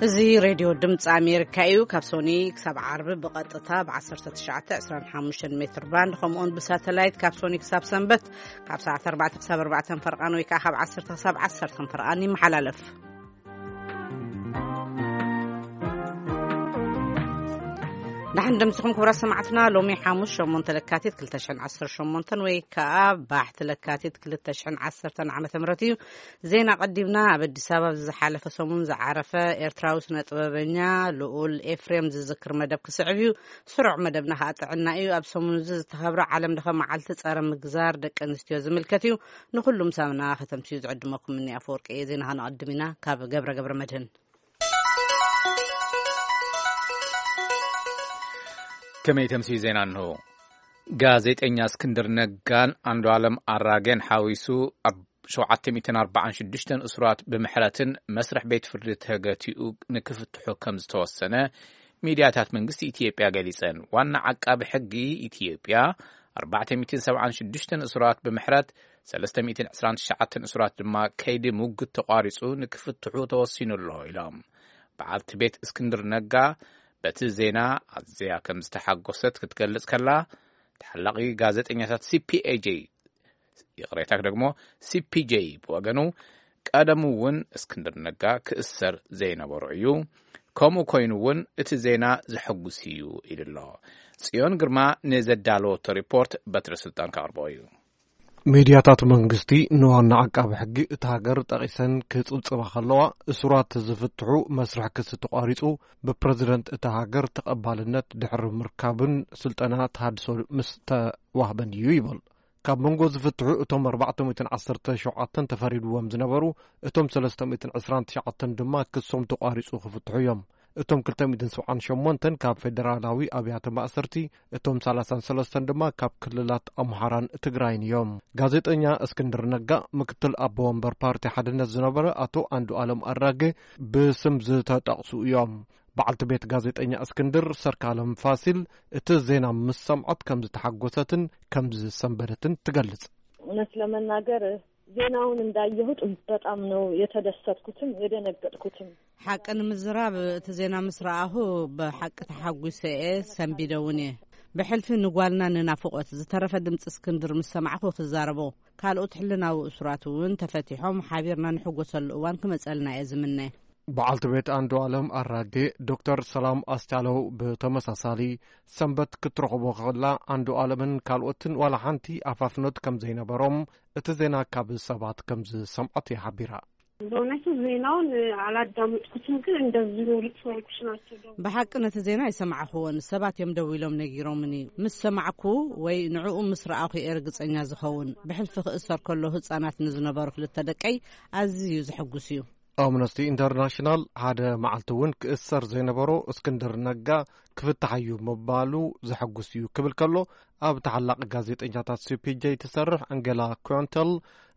እዚ ሬድዮ ድምፂ ኣሜሪካ እዩ። ካብ ሶኒ ክሳብ ዓርቢ ብቐጥታ ብ19፣ 25 ሜትር ባንድ፣ ከምኡውን ብሳተላይት ካብ ሶኒ ክሳብ ሰንበት ካብ ሰዓት ኣርባዕተ ክሳብ ኣርባዕተ ፈርቓን ወይ ከዓ ካብ ዓሰርተ ክሳብ ዓሰርተ ፈርቓን ይመሓላለፍ። ደሓን ደምስኹም ክቡራት ሰማዕትና፣ ሎሚ ሓሙስ ሸሞንተ ለካቲት ክልተ ሽሕን ዓሰርተ ሸሞንተን ወይ ከዓ ባሕቲ ለካቲት ክልተ ሽሕን ዓሰርተን ዓመተ ምህረት እዩ። ዜና ቀዲምና። ኣብ ኣዲስ ኣበባ ዝሓለፈ ሰሙን ዝዓረፈ ኤርትራዊ ስነ ጥበበኛ ልኡል ኤፍሬም ዝዝክር መደብ ክስዕብ እዩ። ስሩዕ መደብና ከዓ ጥዕና እዩ። ኣብ ሰሙን እዚ ዝተኸብረ ዓለም ለኸ መዓልቲ ጸረ ምግዛር ደቂ ኣንስትዮ ዝምልከት እዩ። ንኹሉም ሳምና ከተምስዩ ዝዕድመኩም እኒ ኣፈወርቂ እየ። ዜና ከነቐድም ኢና ካብ ገብረ ገብረ መድህን። ከመይ ተምስዩ ዜና እንሆ። ጋዜጠኛ እስክንድር ነጋን ኣንዱ ኣለም ኣራጌን ሓዊሱ ኣብ ሸውዓተ ሚእትን ኣርባዓን ሽዱሽተን እሱራት ብምሕረትን መስርሕ ቤት ፍርዲ ተገቲኡ ንክፍትሑ ከም ዝተወሰነ ሚድያታት መንግስቲ ኢትዮጵያ ገሊጸን። ዋና ዓቃቢ ሕጊ ኢትዮጵያ ኣርባዕተ ሚእትን ሰብዓን ሽዱሽተን እሱራት ብምሕረት ሰለስተ ሚእትን ዕስራን ትሽዓተን እሱራት ድማ ከይዲ ሙግት ተቋሪጹ ንክፍትሑ ተወሲኑ ኣሎ ኢሎም። በዓልቲ ቤት እስክንድር ነጋ በቲ ዜና ኣዝያ ከም ዝተሓጎሰት ክትገልጽ ከላ፣ ተሓላቒ ጋዜጠኛታት ሲ ፒ ኤ ጄ፣ ይቕሬታ፣ ደግሞ ሲ ፒ ጄ ብወገኑ፣ ቀደሙ እውን እስክንድር ነጋ ክእሰር ዘይነበሮ እዩ። ከምኡ ኮይኑ እውን እቲ ዜና ዘሐጉስ እዩ ኢሉ ኣሎ። ጽዮን ግርማ ንዘዳለወቶ ሪፖርት በትረ ስልጣን ከቕርቦ እዩ። ሚድያታት መንግስቲ ንዋና ዓቃቢ ሕጊ እታ ሃገር ጠቒሰን ክጽብጽባ ከለዋ፣ እሱራት ዝፍትሑ መስርሕ ክሲ ተቋሪጹ፣ ብፕረዚደንት እታ ሃገር ተቐባልነት ድሕሪ ምርካብን ስልጠና ተሃድሶ ምስ ተዋህበን እዩ ይብል። ካብ መንጎ ዝፍትሑ እቶም ኣርባዕተ ሚእትን ዓሰርተ ሸውዓተን ተፈሪድዎም ዝነበሩ፣ እቶም ሰለስተ ሚእትን ዕስራን ትሽዓተን ድማ ክሶም ተቋሪጹ ክፍትሑ እዮም። እቶም ክልተ ሚእትን ሰብዓን ሸሞንተን ካብ ፌደራላዊ ኣብያተ ማእሰርቲ፣ እቶም ሰላሳን ሰለስተን ድማ ካብ ክልላት ኣምሓራን ትግራይን እዮም። ጋዜጠኛ እስክንድር ነጋ፣ ምክትል ኣቦ ወንበር ፓርቲ ሓድነት ዝነበረ ኣቶ ኣንዱ ኣለም ኣራጌ ብስም ዝተጠቕሱ እዮም። በዓልቲ ቤት ጋዜጠኛ እስክንድር ሰርካለም ፋሲል፣ እቲ ዜና ምስ ሰምዐት ከም ዝተሓጎሰትን ከም ዝሰንበደትን ትገልጽ። እውነት ለመናገር ዜናውን እንዳየሁት በጣም ነው የተደሰትኩትም የደነገጥኩትም። ሓቂ ንምዝራብ፣ እቲ ዜና ምስ ረኣኹ ብሓቂ ተሓጒሰ እየ፣ ሰንቢደ እውን እየ። ብሕልፊ ንጓልና ንናፍቖት፣ ዝተረፈ ድምፂ እስክንድር ምስ ሰማዕኹ ክዛረቦ፣ ካልኦት ሕልናዊ እሱራት እውን ተፈቲሖም ሓቢርና ንሕጎሰሉ እዋን ክመፀልና እየ ዝምነ። በዓልቲ ቤት ኣንዱ ኣለም ኣራጌ፣ ዶክተር ሰላም ኣስቻለው ብተመሳሳሊ፣ ሰንበት ክትረኽቦ ከላ ኣንዱ ኣለምን ካልኦትን ዋላ ሓንቲ ኣፋፍኖት ከም ዘይነበሮም እቲ ዜና ካብ ሰባት ከም ዝሰምዐት ይሓቢራ። በእውነቱ ዜናውን አላዳመጥኩትም፣ ግን እንደዚሁ ልቅሶ ልቅሶ ናቸው ደው- ብሓቂ ነቲ ዜና ኣይሰማዕኽዎን፣ ሰባት እዮም ደዊሎም ነጊሮምኒ። ምስ ሰማዕኩ ወይ ንዕኡ ምስ ረኣኹ እየ ርግጸኛ ዝኸውን። ብሕልፊ ክእሰር ከሎ ህጻናት ንዝነበሩ ክልተ ደቀይ ኣዝዩ ዘሐጉስ እዩ። ኣምነስቲ ኢንተርናሽናል ሓደ መዓልቲ እውን ክእሰር ዘይነበሮ እስክንድር ነጋ ክፍታሕ እዩ ምባሉ ዘሐጉስ እዩ ክብል ከሎ፣ ኣብ ተሓላቒ ጋዜጠኛታት ሲ ፒ ጄ ትሰርሕ ኣንጌላ ኩንተል፣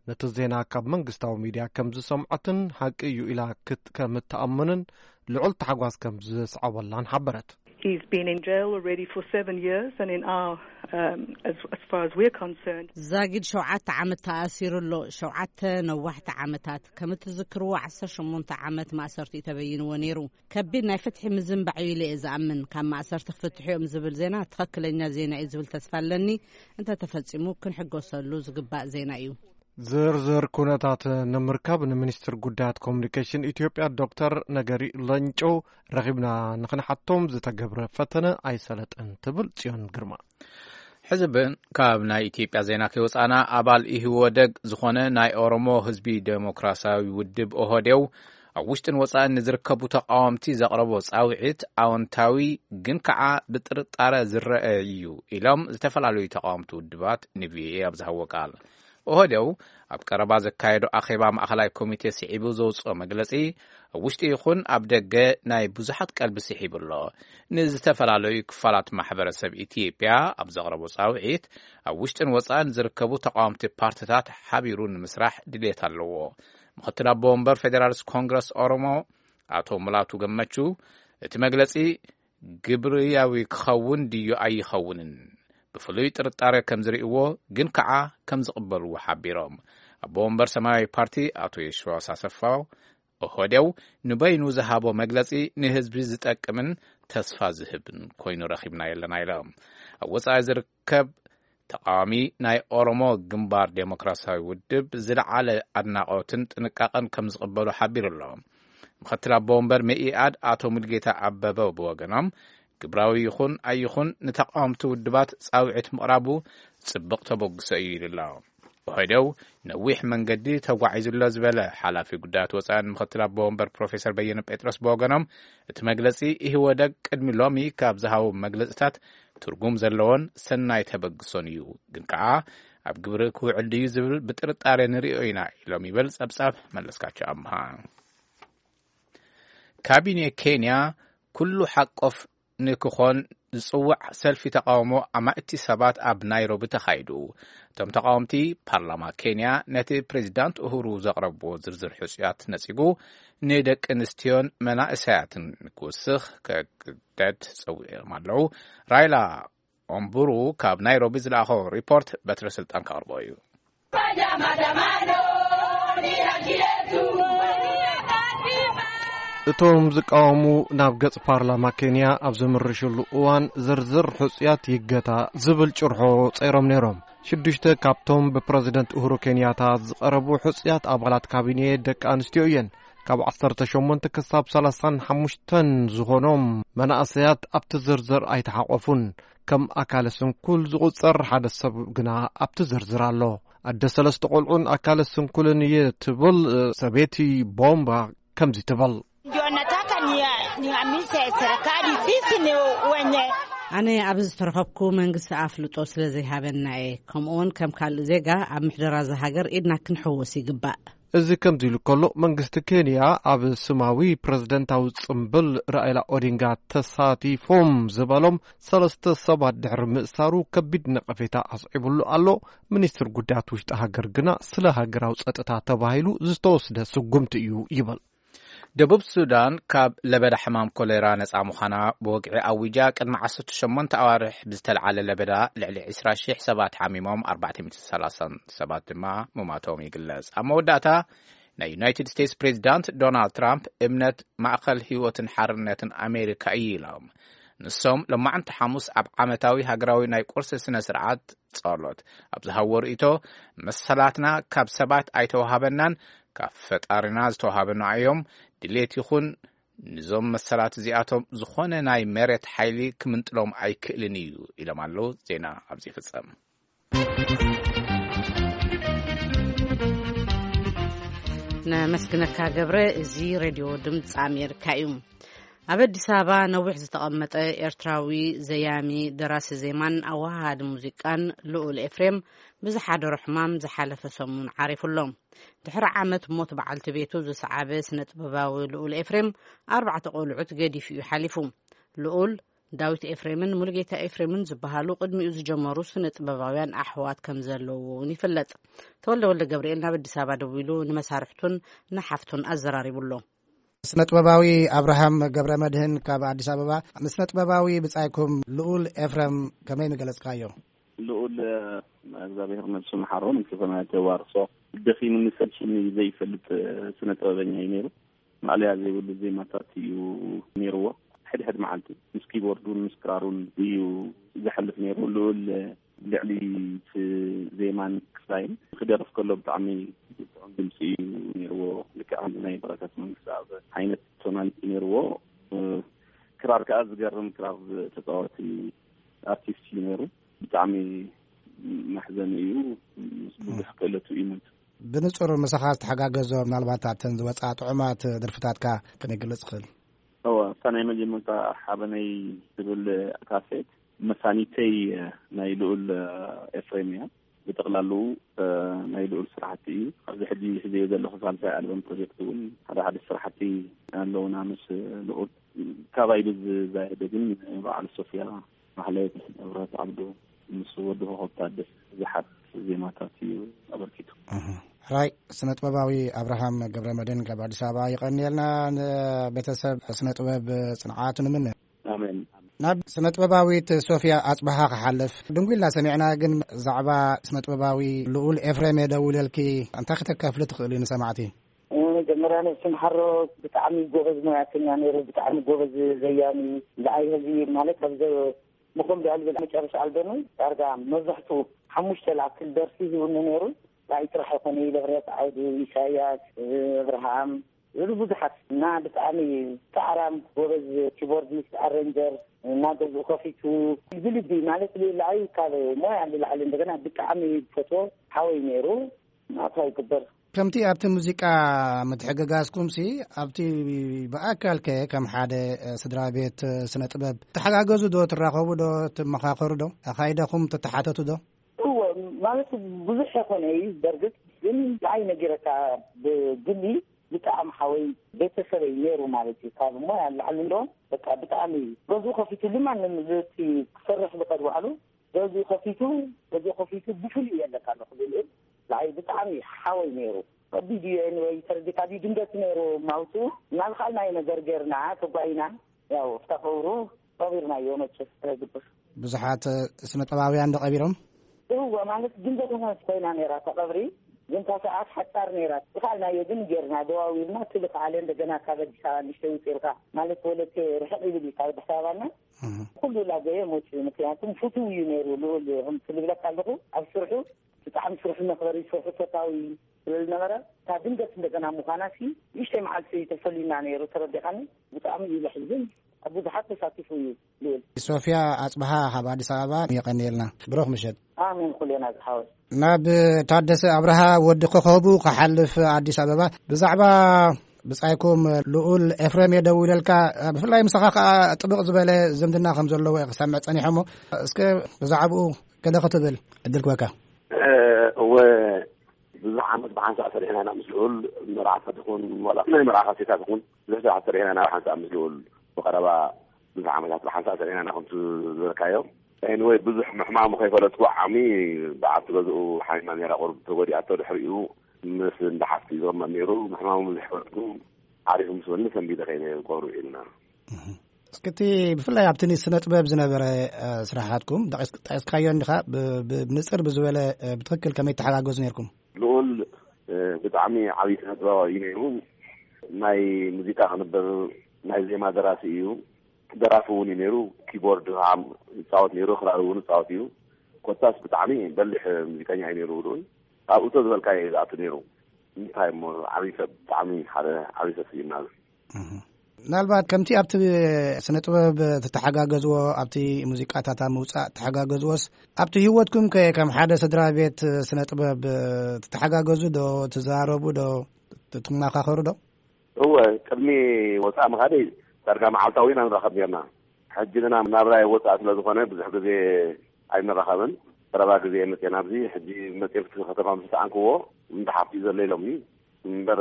ነቲ ዜና ካብ መንግስታዊ ሚድያ ከም ዝሰምዐትን ሓቂ እዩ ኢላ ክት- ከም እትኣምንን ልዑል ታሕጓስ ከም ዝስዓበላን ሓበረት። He's been in jail already for seven years, and in our, um, as, as far as we're concerned, ዛጊድ ሸውዓተ ዓመት ተኣሲሩ ኣሎ። ሸውዓተ ነዋሕቲ ዓመታት፣ ከም እትዝክርዎ፣ ዓሰርተ ሸሞንተ ዓመት ማእሰርቲ እዩ ተበይንዎ ነይሩ። ከቢድ ናይ ፍትሒ ምዝንባዕ እዩ ኢለ እየ ዝኣምን። ካብ ማእሰርቲ ክፍትሑ እዮም ዝብል ዜና ትኽክለኛ ዜና እዩ ዝብል ተስፋ ኣለኒ። እንተተፈጺሙ ክንሕጎሰሉ ዝግባእ ዜና እዩ። ዝርዝር ኩነታት ንምርካብ ንሚኒስትር ጉዳያት ኮሚኒኬሽን ኢትዮጵያ ዶክተር ነገሪ ለንጮ ረኺብና ንኽንሓቶም ዝተገብረ ፈተነ ኣይሰለጠን ትብል ጽዮን ግርማ። ሕዝብን ካብ ናይ ኢትዮጵያ ዜና ከይወጻና፣ ኣባል ኢህወደግ ዝኾነ ናይ ኦሮሞ ህዝቢ ዴሞክራሲያዊ ውድብ ኦህዴው ኣብ ውሽጥን ወጻእን ንዝርከቡ ተቃወምቲ ዘቕረቦ ጻውዒት ኣወንታዊ ግን ከዓ ብጥርጣረ ዝረአ እዩ ኢሎም ዝተፈላለዩ ተቃወምቲ ውድባት ን ቪ ኦ ኤ ኣብ ዝሃቦ ቃል። ኦህዴው ኣብ ቀረባ ዘካየዶ ኣኼባ ማእኸላይ ኮሚቴ ስዒቡ ዘውፅኦ መግለፂ፣ ኣብ ውሽጢ ይኹን ኣብ ደገ ናይ ብዙሓት ቀልቢ ስሒቡ ኣሎ። ንዝተፈላለዩ ክፋላት ማሕበረሰብ ኢትዮጵያ ኣብ ዘቕረቦ ጻውዒት፣ ኣብ ውሽጥን ወጻእን ዝርከቡ ተቃወምቲ ፓርትታት ሓቢሩ ንምስራሕ ድሌት ኣለዎ። ምኽትል ኣቦ ወንበር ፌዴራሊስት ኮንግረስ ኦሮሞ ኣቶ ሙላቱ ገመቹ፣ እቲ መግለጺ ግብርያዊ ክኸውን ድዩ ኣይኸውንን ብፍሉይ ጥርጣረ ከም ዝርእይዎ፣ ግን ከኣ ከም ዝቕበልዎ ሓቢሮም። ኣቦ ወንበር ሰማያዊ ፓርቲ ኣቶ የሽዋስ ኣሰፋው ኦህዴው ንበይኑ ዝሃቦ መግለጺ ንህዝቢ ዝጠቅምን ተስፋ ዝህብን ኮይኑ ረኺብናዮ ኣለና ኢሎም። ኣብ ወጻኢ ዝርከብ ተቃዋሚ ናይ ኦሮሞ ግንባር ዴሞክራሲያዊ ውድብ ዝለዓለ ኣድናቆትን ጥንቃቐን ከም ዝቕበሉ ሓቢሩ ኣሎ። ምክትል ኣቦ ወንበር መኢኣድ ኣቶ ሙልጌታ ኣበበ ብወገኖም ግብራዊ ይኹን ኣይኹን ንተቃወምቲ ውድባት ጻውዒት ምቕራቡ ጽብቕ ተበግሶ እዩ ኢሉ ኣሎ። ኦህዴው ነዊሕ መንገዲ ተጓዒዙ ኣሎ ዝበለ ሓላፊ ጉዳያት ወጻኢን ምክትል ኣቦ ወንበር ፕሮፌሰር በየነ ጴጥሮስ ብወገኖም እቲ መግለጺ ኢህወደግ ቅድሚ ሎሚ ካብ ዝሃቦ መግለጽታት ትርጉም ዘለዎን ሰናይ ተበግሶን እዩ፣ ግን ከኣ ኣብ ግብሪ ክውዕል ድዩ ዝብል ብጥርጣሬ ንርእዮ ኢና ኢሎም ይብል ጸብጻብ መለስካቸው ኣምሃ። ካቢኔ ኬንያ ኩሉ ሓቆፍ ንክኾን ዝጽዋዕ ሰልፊ ተቃውሞ ኣማእቲ ሰባት ኣብ ናይሮቢ ተኻይዱ። እቶም ተቃወምቲ ፓርላማ ኬንያ ነቲ ፕሬዚዳንት ኡሁሩ ዘቕረብዎ ዝርዝር ሕጹያት ነጺጉ ንደቂ ኣንስትዮን መናእሰያትን ክውስኽ ከግደድ ጸዊዖም ኣለዉ። ራይላ ኦምቡሩ ካብ ናይሮቢ ዝለኣኸ ሪፖርት በትረ ስልጣን ከቕርቦ እዩ። እቶም ዝቃወሙ ናብ ገጽ ፓርላማ ኬንያ ኣብ ዝምርሽሉ እዋን ዝርዝር ሕጹያት ይገታ ዝብል ጭርሖ ጸይሮም ነይሮም። ሽዱሽተ ካብቶም ብፕረዚደንት ኡሁሩ ኬንያታ ዝቐረቡ ሕጹያት ኣባላት ካቢኔ ደቂ ኣንስትዮ እየን። ካብ ዓሰርተ ሸሞንተ ክሳብ ሰላሳን ሓሙሽተን ዝኾኖም መናእሰያት ኣብቲ ዝርዝር ኣይተሓቆፉን። ከም ኣካለ ስንኩል ዝቑጸር ሓደ ሰብ ግና ኣብቲ ዝርዝር ኣሎ። ኣደ ሰለስተ ቆልዑን ኣካለ ስንኩልን እየ ትብል ሰበይቲ ቦምባ ከምዚ ትብል። Ndio nataka ni, niamishe serikali sisi ni wenye. ኣነ ኣብዚ ዝተረኸብኩ መንግስቲ ኣፍልጦ ስለ ዘይሃበና እየ። ከምኡውን ከም ካልእ ዜጋ ኣብ ምሕደራ እዛ ሃገር ኢድና ክንሕውስ ይግባእ። እዚ ከምዚ ኢሉ ከሎ መንግስቲ ኬንያ ኣብ ስማዊ ፕረዚደንታዊ ጽምብል ራኢላ ኦዲንጋ ተሳቲፎም ዝበሎም ሰለስተ ሰባት ድሕሪ ምእሳሩ ከቢድ ነቐፌታ ኣስዒቡሉ ኣሎ። ሚኒስትር ጉዳያት ውሽጢ ሃገር ግና ስለ ሃገራዊ ጸጥታ ተባሂሉ ዝተወስደ ስጉምቲ እዩ ይብል። ደቡብ ሱዳን ካብ ለበዳ ሕማም ኮሌራ ነጻ ምዃና ብወግዒ ኣዊጃ ቅድሚ ዓሰርተ ሸሞንተ ኣዋርሕ ብዝተለዓለ ለበዳ ልዕሊ ዕስራ ሽሕ ሰባት ሓሚሞም ኣርባዕተ ሚእቲ ሰላሳን ሰባት ድማ ምማቶም ይግለጽ። ኣብ መወዳእታ ናይ ዩናይትድ ስቴትስ ፕሬዚዳንት ዶናልድ ትራምፕ እምነት ማእኸል ህይወትን ሓርነትን ኣሜሪካ እዩ ኢሎም። ንሶም ሎማዕንቲ ሓሙስ ኣብ ዓመታዊ ሃገራዊ ናይ ቁርሲ ስነ ስርዓት ጸሎት ኣብ ዝሃብዎ ርእይቶ መሰላትና ካብ ሰባት ኣይተዋሃበናን ካብ ፈጣሪና ዝተዋሃበና እዮም። ድሌት ይኹን ንዞም መሰላት እዚኣቶም ዝኾነ ናይ መሬት ሓይሊ ክምንጥሎም ኣይክእልን እዩ ኢሎም ኣለዉ። ዜና ኣብዚ ይፍጸም። ነመስግነካ ገብረ። እዚ ሬድዮ ድምፂ ኣሜሪካ እዩ። ኣብ ኣዲስ ኣበባ ነዊሕ ዝተቐመጠ ኤርትራዊ ዘያሚ፣ ደራሲ ዜማን ኣወሃሃዲ ሙዚቃን ልኡል ኤፍሬም ብዝሓደሮ ሕማም ዝሓለፈ ሰሙን ዓሪፉ ኣሎ። ድሕሪ ዓመት ሞት በዓልቲ ቤቱ ዝሰዓበ ስነ ጥበባዊ ልኡል ኤፍሬም ኣርባዕተ ቆልዑት ገዲፉ እዩ ሓሊፉ። ልኡል ዳዊት ኤፍሬምን ሙሉጌታ ኤፍሬምን ዝበሃሉ ቅድሚኡ ዝጀመሩ ስነ ጥበባውያን ኣሕዋት ከም ዘለውዎ እውን ይፍለጥ። ተወልደ ወልደ ገብርኤል ናብ ኣዲስ ኣበባ ደዊሉ ንመሳርሕቱን ንሓፍቱን ኣዘራሪቡ ኣሎ። ስነ ጥበባዊ ኣብርሃም ገብረ መድህን ካብ ኣዲስ ኣበባ። ንስነ ጥበባዊ ብጻይኩም ልኡል ኤፍሬም ከመይ ምገለጽካዮ? ልኡል እግዚኣብሔር ነብሱ መሓሮ፣ ንክፈና ተዋርሶ። ደኺሙኒ ሰልችኒ ዘይፈልጥ ስነ ጥበበኛ እዩ ነይሩ። ማእለያ ዘይብሉ ዜማታት እዩ ነይርዎ። ሕድሕድ መዓልቲ ምስ ኪቦርዱን ምስ ክራሩን እዩ ዘሕልፍ ነይሩ። ልኡል ልዕሊ እቲ ዜማን ክስታይን ክደርፍ ከሎ ብጣዕሚ ጥዑም ድምፂ እዩ ነይርዎ። ልክዕ ከምዚ ናይ በረከት መንግስቲ ኣብ ዓይነት ቶናሊቲ ነይርዎ። ክራር ከዓ ዝገርም ክራር ተፃወቲ ኣርቲስት እዩ ነይሩ። ብጣዕሚ መሕዘኒ እዩ። ብዙሕ ክእለቱ እዩ ሞይቱ። ብንጹር ምሳኻ ዝተሓጋገዞ፣ ምናልባት ኣብተን ዝወጻ ጥዑማት ደርፍታትካ ከነግልጽ ይኽእል? እወ፣ እታ ናይ መጀመርታ ሓበነይ ትብል ካሴት መሳኒተይ ናይ ልኡል ኤፍሬም እያ። ብጠቕላሉ ናይ ልኡል ስራሕቲ እዩ። ኣብዚ ሕጂ ሒዘዮ ዘለኹ ሳልሳይ ኣልበም ፕሮጀክት እውን ሓደ ሓደ ስራሕቲ ኣለውና ምስ ልኡል። ካባይ ብዝዛየደ ግን በዓል ሶፍያ ማሕሌት፣ እብረት ዓብዱ ምስ ወዲ ኮኸብ ታደሰ ብዙሓት ዜማታት እዩ ኣበርኪቱ። ሕራይ ስነ ጥበባዊ ኣብርሃም ገብረ መድህን ካብ ኣዲስ ኣበባ ይቐንየልና። ንቤተሰብ ስነ ጥበብ ጽንዓት ንምነ። ኣሜን። ናብ ስነ ጥበባዊት ሶፍያ ኣጽብሃ ክሓልፍ ድንጉ ኢልና ሰሚዕና፣ ግን ዛዕባ ስነ ጥበባዊ ልኡል ኤፍሬም እየ ደውለልኪ፣ እንታይ ክተካፍሊ ትኽእሊ ንሰማዕቲ? መጀመርያ ነብሲ ምሓሮ ብጣዕሚ ጎበዝ ሞያተኛ ነይሩ፣ ብጣዕሚ ጎበዝ ዘያሚ። ንዓይ ህዚ ማለት ኣብዚ ምኹም ዳል መጨረሻ ኣልበሙ ዳርጋ መብዛሕቱ ሓሙሽተ ላክል ደርሲ ሂቡኒ ነይሩ። ንዓይ ጥራሕ ኣይኮነ፣ ለብረት ዓውዱ፣ ኢሳያስ፣ እብርሃም፣ ዝሉ ብዙሓት እና ብጣዕሚ ጻዕራም ጎበዝ ኪቦርዲስት፣ ኣረንጀር፣ እና ገዝኡ ከፊቱ ብልቢ ማለት ልዕሊ ካብ ሞያ ንላዕሊ እንደገና ብጣዕሚ ዝፈትዎ ሓወይ ነይሩ። ናቱ ኣይግበር። ከምቲ ኣብቲ ሙዚቃ ምትሕግጋዝኩምሲ፣ ኣብቲ ብኣካል ከ ከም ሓደ ስድራ ቤት ስነ ጥበብ ትሓጋገዙ ዶ? ትራኸቡ ዶ? ትመኻኸሩ ዶ? ኣኻይዳኹም ትተሓተቱ ዶ? እወ፣ ማለት ብዙሕ የኾነ እዩ። በርግጥ ግን ንዓይ ነጊረካ ብግሊ ብጣዕሚ ሓወይ ቤተሰበይ ነይሩ ማለት እዩ። ካብ ሞያ ንላዕሊ እንዶ በቃ ብጣዕሚ ገዝኡ ከፊቱ ድማ ንምዝቲ ክሰርሕ ዝኸድ ባዕሉ ገዝኡ ከፊቱ፣ ገዝኡ ከፊቱ ብፍሉይ የለካ ኣለኹ ዝብል ንዓይ ብጣዕሚ ሓወይ ነይሩ። ከቢድ እዩ። ኤኒወይ ተረዲካ ድዩ ድንገት ነይሩ ማውፅኡ እናልካልናዮ ነገር ጌርና ተጓይና ያው ፍታ ቀብሩ ቀቢርናዮ መቸስ ተግብር። ብዙሓት ስነ ጥበባውያን ዶ ቀቢሮም? እወ፣ ማለት ድንገት ኮይና ነይራ እታ ቀብሪ። ግን እታ ሰዓት ሓጻር ነይራ። ዝኸኣልናዮ ግን ጌርና፣ ደዋዊልና፣ እቲ ዝኸኣለ እንደገና ካብ ኣዲስ ኣበባ ንእሽተይ ውጽእ ኢልካ፣ ማለት ወለቴ ርሕቕ ይብል እዩ ካብ ኣዲስ ኣበባና። እህ። ኩሉ ላገየ መጽኡ፣ ምክንያቱም ፍቱው እዩ ነይሩ ልኡል፣ ከምቲ ዝብለካ ኣለኹ፣ ኣብ ስርሑ ብጣዕሚ ስርሑ መኽበሪ፣ ስርሑ ፈታዊ ስለ ዝነበረ፣ እታ ድንገት እንደገና ምዃና ሲ ንእሽተይ መዓልቲ ተፈሊና ነይሩ፣ ተረዲኻኒ? ብጣዕሚ እዩ ለሕዝን። ኣብ ብዙሓት ተሳቲፉ እዩ ልኡል። ሶፍያ ኣጽብሃ ካብ ኣዲስ ኣበባ፣ የቐንየልና። ብሩኽ ምሸት። ኣሜን፣ ኩሌና ዝሓወስ። ናብ ታደሰ ኣብርሃ ወዲ ኮኸቡ ክሓልፍ ኣዲስ ኣበባ፣ ብዛዕባ ብጻይኩም ልኡል ኤፍሬም እየ ደዊለልካ። ብፍላይ ምሳኻ ከኣ ጥብቕ ዝበለ ዝምድና ከም ዘለዎ እየ ክሰምዕ ጸኒሐ እሞ፣ እስከ ብዛዕባኡ ገለ ክትብል ዕድል ክበካ። እወ፣ ብዙሕ ዓመት ብሓንሳእ ሰሪሕና ኢና ምስ ልኡል። መርዓ ትኹን ዋላ ናይ መርዓ ካሴታት ይኹን ብዙሕ ስራሕ ሰሪሕና ኢና ብሓንሳእ ምስ ልኡል። ብቐረባ ብዙሕ ዓመታት ብሓንሳእ ሰሪሕና ኢና ከምቲ ዝበልካዮ። ኤኒወይ፣ ብዙሕ ምሕማሙ ከይፈለጥኩ ዓሚ ብዓቲ ገዝኡ ሓሚማ ነይራ፣ ቁሩብ ተጎዲኣቶ። ድሕሪኡ ምስ እንዳ ሓፍቲ ይዘመር ነይሩ። ምሕማሙ ብዙሕ ፈለጥኩ። ዓሪፉ ምስ በኒ ሰንቢደ ከይነ ቀብሩ ኢልና። እስኪ እቲ ብፍላይ ኣብቲ ስነ ጥበብ ዝነበረ፣ እ፣ ስራሓትኩም ጠቂስ-፣ ጠቂስካዮ እንዲኻ፣ ብ-፣ ብ-፣ ብንጽር ብዝበለ፣ እ፣ ብትኽክል ከመይ ተሓጋገዙ ነይርኩም? ልኡል፣ እ፣ ብጣዕሚ ዓብዪ ስነ ጥበባዊ እዩ ነይሩ። ናይ ሙዚቃ ክንበብ ናይ ዜማ ደራሲ እዩ። ደራፊ እውን እዩ ነይሩ። ኪቦርድ ከዓ ይፃወት ነይሩ። ክራር እውን ይፃወት እዩ። ኮታስ ብጣዕሚ በሊሕ ሙዚቀኛ እዩ ነይሩ ልኡል። ኣብኡ ተዝበልካዮ እዩ ዝኣቱ ነይሩ። እንታይ እሞ ዓብዪ ሰብ፣ ብጣዕሚ ሓደ ዓብዪ ሰብ ስኢና። እህ። ምናልባት ከምቲ ኣብቲ ስነ ጥበብ ትተሓጋገዝዎ፣ ኣብቲ ሙዚቃታት ኣብ ምውጻእ ትተሓጋገዝዎስ፣ ኣብቲ ህይወትኩም ከ ከም ሓደ ስድራ ቤት ስነ ጥበብ ትተሓጋገዙ ዶ? ትዛረቡ ዶ? ትመኻኸሩ ዶ? እወ፣ ቅድሚ ወጻእ ምኻደይ ዳርጋ መዓልታዊ ኢና ንራኸብ ኔርና። ሕጂ ግና ናብራ ወጻእ ስለ ዝኾነ ብዙሕ ግዜ ኣይንራኸብን። ቀረባ ግዜ መጽኤ ናብዚ፣ ሕጂ መጽኤ ኣብቲ ከተማ ምስ ሰኣንክዎ፣ እንዳ ሓፍቲ ዘሎ ኢሎምኒ። እምበር፣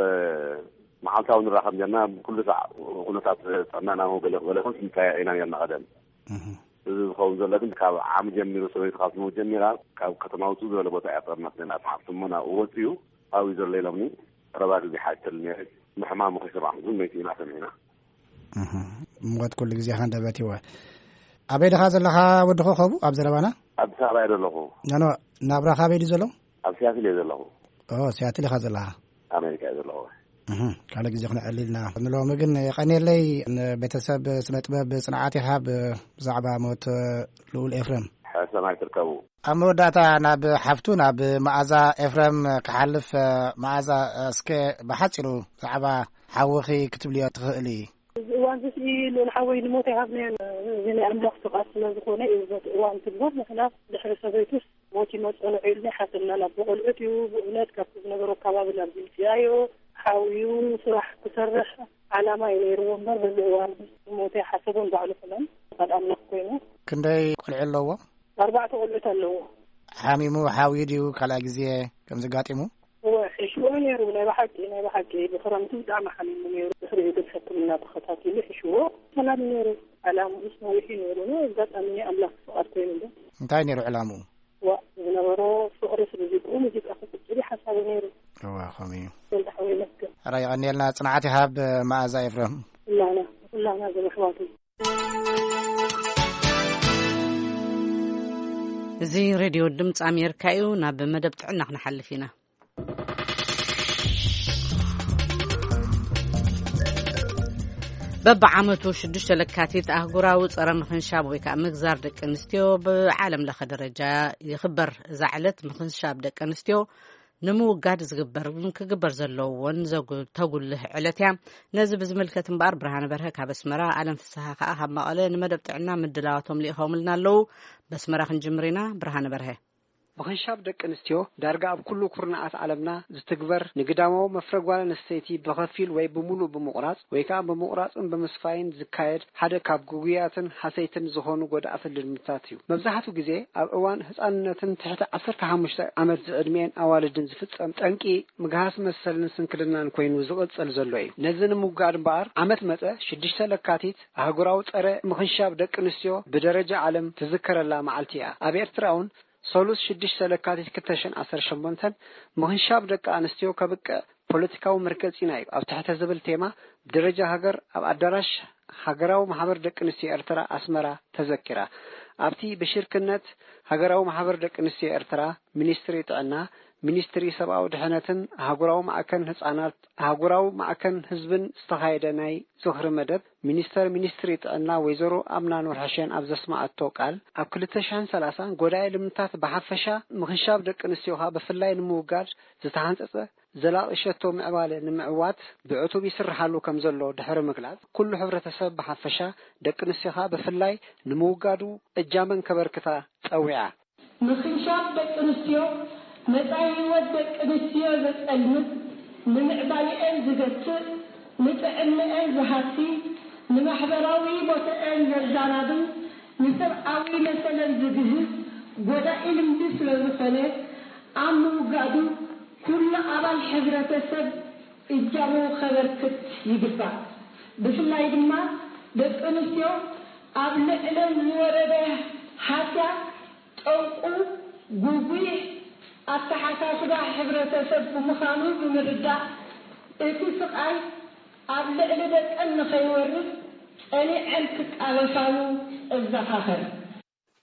መዓልታዊ ንራኸብ ኔርና። ኩሉ ሳዕ ኩነታት ጥዕናና ገለ ገለ ይኹን ክንጠያየቕ ኢና ኔርና ቀደም። እህ። እዚ ዝኸውን ዘሎ ግን ካብ ዓሚ ጀሚሩ፣ ሰበይቲ ካብ ትመውት ጀሚራ፣ ካብ ከተማ ውጹእ ዝበለ ቦታ እያ ጠርናት ኔርና። እቲ ሓፍቲ እሞ ናብኡ ወጺኡ ኣብኡ እዩ ዘሎ ኢሎምኒ። ቀረባ ግዜ ሓተል ኔረ። ምሕማሙ ከይሰማዕኩ ግን መይቱ ኢና ሰሚዕና። እህ። ሞት ኩሉ ግዜ ሃንደበት ይወ። ኣበይ ድኻ ዘለኻ ወዲ ኮኸቡ? ኣብ ዘረባና? ኣዲስ ኣበባ እየ ዘለኹ። ኖ፣ ኖ፣ ናብራኻ ኣበይ ድዩ ዘሎ? ኣብ ሲያትል እየ ዘለኹ። ኦ፣ ሲያትል ኢኻ ዘለኻ? ኣሜሪካ እየ ዘለኹ። እህ፣ ካልእ ግዜ ክነዕልልና። ንሎሚ ግን የቐንየለይ። ንቤተሰብ ስነ ጥበብ ጽንዓት ይሃብ። ብዛዕባ ሞት ልኡል ኤፍረም። ሕሰማይ ትርከቡ። ኣብ መወዳእታ ናብ ሓፍቱ ናብ መኣዛ ኤፍረም ክሓልፍ፣ መኣዛ፣ እስከ ብሓጺሩ ብዛዕባ ሓውኺ ክትብልዮ ትኽእሊ? እዚ እዋን እዚ ልኡል ሓወይ ንሞት ኣይሃብናዮን። እዚ ናይ ኣምላኽ ፍቓድ ስለ ዝኾነ እዩ በቲ እዋን ትግበር። ንሕና ድሕሪ ሰበይቱስ ሞት ይመጽኦ ንዑ ኢልና ሓሰብና። ናብ ቆልዑት እዩ ብእውነት ካብቲ ዝነበሮ ኣካባቢ ናብ ዝምጽኣዮ ሓው እዩ። ስራሕ ክሰርሕ ዓላማ እዩ ነይርዎ እምበር በዚ እዋን እዚ ሞት ኣይሓሰቦን ባዕሉ ኩለን ፍቓድ ኣምላኽ ኮይኑ። ክንደይ ቆልዑ ኣለዎ? ኣርባዕተ ቆልዑት ኣለዎ። ሓሚሙ ሓውዩ ድዩ ካልኣይ ግዜ ከምዚ ጋጢሙ? እወ፣ ሒሽዎ ነይሩ። ናይ ብሓቂ፣ ናይ ብሓቂ ብኽረምቲ ብጣዕሚ ሓሚሙ ነይሩ። ድሕሪኡ ግን ሕክምና ተኸታቲሉ ሒሽዎ ሰላም ነይሩ። ዕላምኡስ ነዊሕ እዩ ነይሩ። ኣጋጣሚ ናይ ኣምላኽ ፍቓድ ኮይኑ እምበር። እንታይ ነይሩ ዕላምኡ? ዋ፣ ዝነበሮ ፍቕሪ ስለ ዘይብኡ ሙዚቃ ክቕጽል እዩ ሓሳቡ ነይሩ። እወ፣ ከምኡ እዩ። ወልደ ሓወይ መስገን። ሕራይ የቐንየልና፣ ጽንዓት ይሃብ መኣዛ ኤፍረም። ኩላና፣ ኩላና ዘመሕዋቱ። እዚ ሬድዮ ድምፂ ኣሜሪካ እዩ። ናብ መደብ ጥዕና ክንሓልፍ ኢና። በብዓመቱ ሽዱሽተ ለካቲት ኣህጉራዊ ጸረ ምኽንሻብ ወይ ከዓ ምግዛር ደቂ ኣንስትዮ ብዓለም ለኸ ደረጃ ይኽበር። እዛ ዕለት ምኽንሻብ ደቂ ኣንስትዮ ንምውጋድ ዝግበር ክግበር ዘለዎን ተጉልህ ዕለት እያ። ነዚ ብዝምልከት እምበኣር ብርሃነ በርሀ ካብ ኣስመራ፣ ኣለም ፍስሃ ከዓ ካብ መቐለ ንመደብ ጥዕና ምድላዋቶም ልኢኸውምልና ኣለዉ። በስመራ ክንጅምር ኢና። ብርሃነ በርሀ። ምኽንሻብ ደቂ ኣንስትዮ ዳርጋ ኣብ ኩሉ ኩርናዓት ዓለምና ዝትግበር፣ ንግዳማዊ መፍረ ጓል ኣንስተይቲ ብኸፊል ወይ ብምሉእ ብምቑራጽ ወይ ከዓ ብምቑራጽን ብምስፋይን ዝካየድ ሓደ ካብ ግጉያትን ሓሰይትን ዝኾኑ ጎዳእትን ልምድታት እዩ። መብዛሕትኡ ግዜ ኣብ እዋን ህጻንነትን ትሕቲ ዓሰርተ ሓሙሽተ ዓመት ዝዕድሚኤን ኣዋልድን ዝፍጸም ጠንቂ ምግሃስ መሰልን ስንክልናን ኮይኑ ዝቕጽል ዘሎ እዩ። ነዚ ንምውጋድ እምበኣር ዓመት መጸ ሽዱሽተ ለካቲት ኣህጉራዊ ጸረ ምኽንሻብ ደቂ ኣንስትዮ ብደረጃ ዓለም ትዝከረላ መዓልቲ እያ። ኣብ ኤርትራ እውን ሰሉስ ሽዱሽተ ለካቲት ክልተ ሽሕን ዓሰርተ ሸሞንተን ምኽንሻብ ደቂ ኣንስትዮ ከብቅዕ ፖለቲካዊ መርገጺና እዩ ኣብ ትሕተ ዝብል ቴማ ብደረጃ ሃገር ኣብ ኣዳራሽ ሃገራዊ ማሕበር ደቂ ኣንስትዮ ኤርትራ ኣስመራ ተዘኪራ። ኣብቲ ብሽርክነት ሃገራዊ ማሕበር ደቂ ኣንስትዮ ኤርትራ፣ ሚኒስትሪ ጥዕና፣ ሚኒስትሪ ሰብኣዊ ድሕነትን ኣህጉራዊ ማዕከን ህጻናት፣ ኣህጉራዊ ማዕከን ህዝብን ዝተኻየደ ናይ ዝኽሪ መደብ፣ ሚኒስተር ሚኒስትሪ ጥዕና ወይዘሮ ኣምና ኑርሐሸን ኣብ ዘስማዓቶ ቃል፣ ኣብ ክልተ ሽሕን ሰላሳን ጎዳኢ ልምድታት ብሓፈሻ፣ ምኽንሻብ ደቂ ኣንስትዮኻ ብፍላይ ንምውጋድ ዝተሓንጸጸ ዘላቒ ሸቶ ምዕባለ ንምዕዋት ብዕቱብ ይስርሓሉ ከም ዘሎ ድሕሪ ምግላጽ፣ ኩሉ ሕብረተሰብ ብሓፈሻ፣ ደቂ ኣንስትዮኻ ብፍላይ ንምውጋዱ እጃመን ከበርክታ ጸዊዓ። ምኽንሻብ ደቂ ኣንስትዮ መጻኢ ህይወት ደቂ ኣንስትዮ ዘጸልምት፣ ንምዕባሊአን ዝገትእ፣ ንጥዕንአን ዝሃሲ፣ ንማሕበራዊ ቦትአን ዘዛናብል፣ ንሰብኣዊ መሰለን ዝግህስ ጎዳኢ ልምዲ ስለ ዝኾነ፣ ኣብ ምውጋዱ ኩሉ ኣባል ሕብረተሰብ እጃሙ ከበርክት ይግባእ። ብፍላይ ድማ ደቂ ኣንስትዮ ኣብ ልዕለን ዝወረደ ሃስያ ጠንቁ ጉጉይ ኣተሓሳስባ ሕብረተሰብ ብምዃኑ ብምርዳእ፣ እቲ ስቓይ ኣብ ልዕሊ ደቀን ንኸይወርድ ጸኒዐን ክቃለሳሉ እዘኻኸር።